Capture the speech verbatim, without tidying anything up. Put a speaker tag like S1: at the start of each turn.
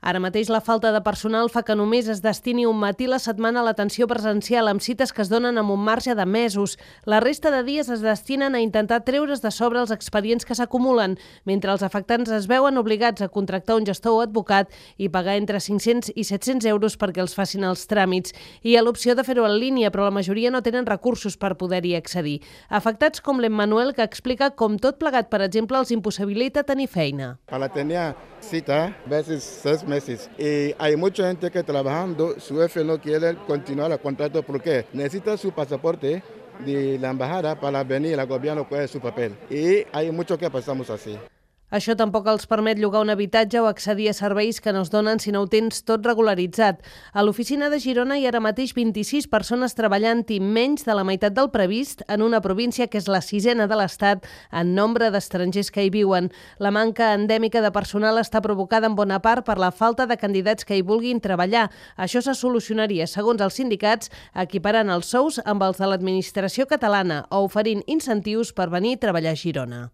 S1: Ara mateix la falta de personal fa que només es destini un matí a la setmana a l'atenció presencial amb cites que es donen amb un marge de mesos. La resta de dies es destinen a intentar treure's de sobre els expedients que s'acumulen, mentre els afectants es veuen obligats a contractar un gestor o advocat i pagar entre cinc-cents i set-cents euros perquè els facin els tràmits. Hi ha l'opció de fer-ho en línia, però la majoria no tenen recursos per poder-hi accedir. Afectats com l'Emmanuel, que explica com tot plegat, per exemple, els impossibilita tenir feina.
S2: Para tener cita, a veces seis meses, y hay mucha gente que trabajando, su jefe no quiere continuar el contrato porque necesita su pasaporte de la embajada para venir al gobierno con su papel. Y hay mucho que pasamos así.
S1: Això tampoc els permet llogar un habitatge o accedir a serveis que no es donen si no ho tens tot regularitzat. A l'oficina de Girona hi ha ara mateix vint-i-sis persones treballant i menys de la meitat del previst en una província que és la sisena de l'Estat en nombre d'estrangers que hi viuen. La manca endèmica de personal està provocada en bona part per la falta de candidats que hi vulguin treballar. Això se solucionaria, segons els sindicats, equiparant els sous amb els de l'administració catalana o oferint incentius per venir a treballar a Girona.